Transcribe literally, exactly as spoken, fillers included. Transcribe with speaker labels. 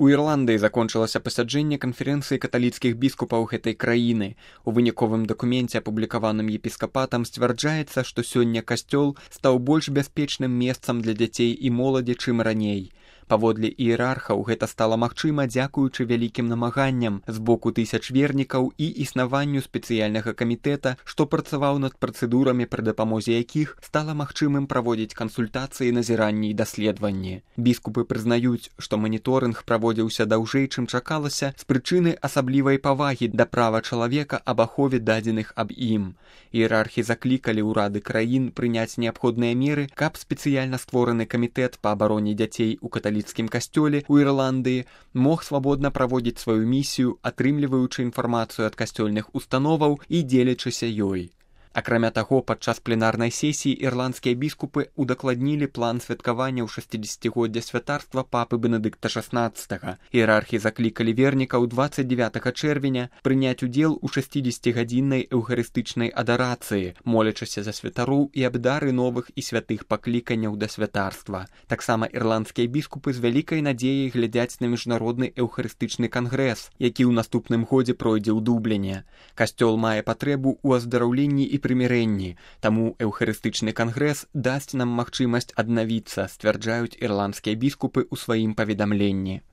Speaker 1: У Ірландыі закончылася пасяджэнне канферэнцыі каталіцкіх біскупаў гэтай краіны. У выніковым дакуменце, апублікаваным епіскапатам, сцвярджаецца, што сёння касцёл стаў больш бяспечным месцам для дзяцей і моладзі, чым раней. Паводле іерархаў гэта стала магчыма дзякуючы вялікім намаганням з боку тысяч вернікаў і існаванню спецыяльнага камітэта, што працаваў над працэдурамі, пры дапамозе якіх стала магчымым праводзіць кансультацыі, назіранні і даследаванні. Біскупы прызнаюць, што маніторынг праводзіўся даўжэй, чым чакалася, з прычыны асаблівай павагі да права чалавека аб ахове дадзеных аб ім. Іерархі заклікалі ўрады краін прыняць неабходныя меры, каб спецыяльна створаны камітэт па абароне дзяцей у каталіцкім касцёле ў Ірландыі мог свабодна праводзіць сваю місію, атрымліваючы інфармацыю ад касцёльных установаў і дзелячыся ёй. Акрамя таго, падчас пленарнай сесіі ірландскія біскупы удакладнілі план святкавання ў шасцідзесяцігоддзя святарства папы Бенедыкта шаснаццатага. Іерархі заклікалі вернікаў дваццаць дзевятага чэрвеня прыняць удзел у шасцідзесяцігадзіннай эўхарыстычнай адарацыі, молячыся за святароў і аб дары новых і святых пакліканняў да святарства. Таксама ірландскія біскупы з вялікай надзеяй глядзяць на міжнародны эўхарыстычны кангрэс, які ў наступным годзе пройдзе ў Дубліне. Касцёл мае патрэбу ў аздараўленні і прымірэнні, таму эўхарыстычны кангрэс дасць нам магчымасць аднавіцца, сцвярджаюць ірландскія біскупы ў сваім паведамленні.